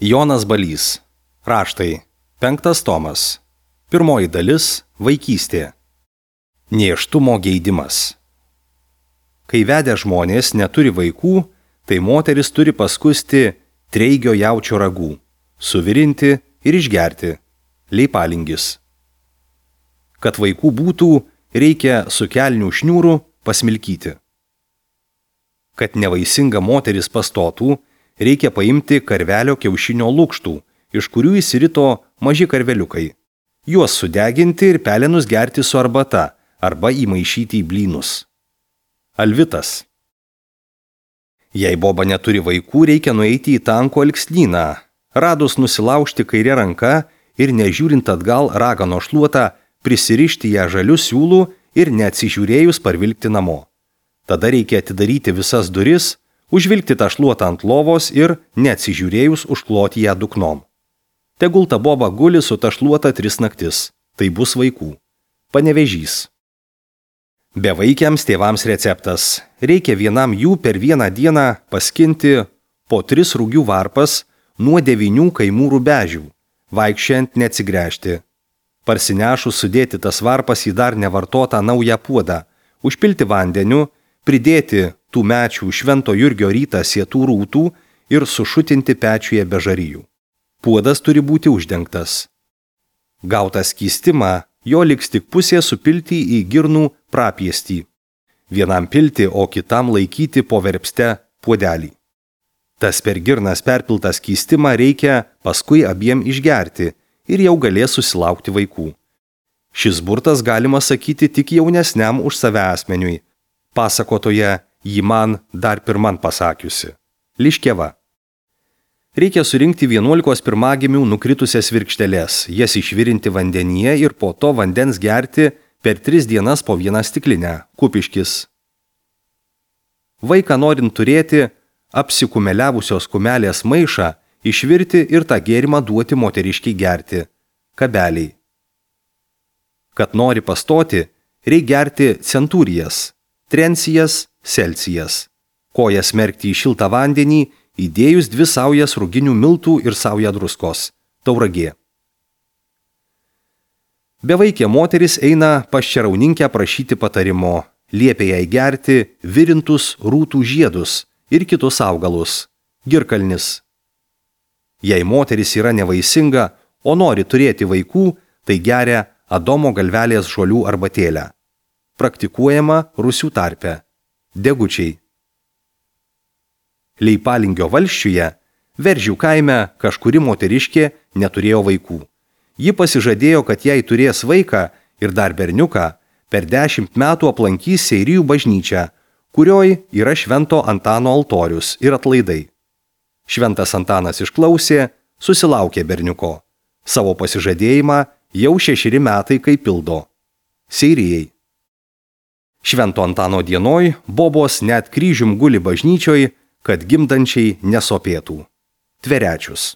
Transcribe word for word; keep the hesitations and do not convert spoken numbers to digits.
Jonas Balys. Raštai. Penktas tomas. Pirmoji dalis – vaikystė. Nėštumo geidimas. Kai vedę žmonės neturi vaikų, tai moteris turi paskusti treigio jaučio ragų, suvirinti ir išgerti – leipalingis. Kad vaikų būtų, reikia su kelnių šniūrų pasmilkyti. Kad nevaisinga moteris pastotų, reikia paimti karvelio kiaušinio lukštų, iš kurių įsirito maži karveliukai. Juos sudeginti ir pelenus gerti su arbata arba įmaišyti į blynus. Alvitas. Jei boba neturi vaikų, reikia nueiti į tanko alksnyną, radus nusilaužti kairę ranką ir nežiūrint atgal ragano šluotą, prisirišti ją žaliu siūlu ir neatsižiūrėjus parvilkti namo. Tada reikia atidaryti visas duris, užvilkti tą šluotą ant lovos ir, neatsižiūrėjus, užkloti ją duknom. Tegul ta boba guli su ta šluota tris naktis, tai bus vaikų. Panevėžys. Bevaikiams tėvams receptas. Reikia vienam jų per vieną dieną paskinti po tris rugių varpas nuo devynių kaimų rubežių, vaikščiant neatsigręžti. Parsinešus sudėti tas varpas į dar nevartotą naują puodą, užpilti vandeniu, pridėti tų mečių Švento Jurgio rytą sėtų rūtų ir sušutinti pečiuje be žarijų. Puodas turi būti uždengtas. Gautą skystimą, jo liks tik pusė supilti į girnų prapiestį. Vienam pilti, o kitam laikyti po verpste puodelį. Tas per girnas perpiltas skystimą reikia paskui abiem išgerti ir jau galės susilaukti vaikų. Šis burtas galima sakyti tik jaunesniam už save asmeniui. Pasakotoje jį man dar pirman pasakiusi. Liškeva. Reikia surinkti vienuolikos pirmagimių nukritusias virkšteles, jas išvirinti vandenyje ir po to vandens gerti per tris dienas po vieną stiklinę. Kupiškis. Vaiką norint turėti, apsikumeliavusios kumelės maišą išvirti ir tą gėrimą duoti moteriškiai gerti. Kabeliai. Kad nori pastoti, reikia gerti centūrijas, trencijas, selcijas. Kojas merkti į šiltą vandenį, įdėjus dvi saujas ruginių miltų ir saują druskos. Tauragė. Bevaikė moteris eina pas čerauninkę prašyti patarimo. Liepia jai gerti virintus rūtų žiedus ir kitus augalus. Girkalnis. Jei moteris yra nevaisinga, o nori turėti vaikų, tai geria Adomo galvelės žolių arbatėlę. Praktikuojama rusių tarpe. Degučiai. Leipalingio valsčiuje, Veržių kaime, kažkuri moteriškė neturėjo vaikų. Ji pasižadėjo, kad jei turės vaiką ir dar berniuką, per dešimt metų aplankys Seirijų bažnyčią, kurioj yra Švento Antano altorius ir atlaidai. Šventas Antanas išklausė, susilaukė berniuko. Savo pasižadėjimą jau šešeri metai kaip pildo. Seirijai. Švento Antano dienoj bobos net kryžium guli bažnyčioj, kad gimdančiai nesopėtų. Tverečius.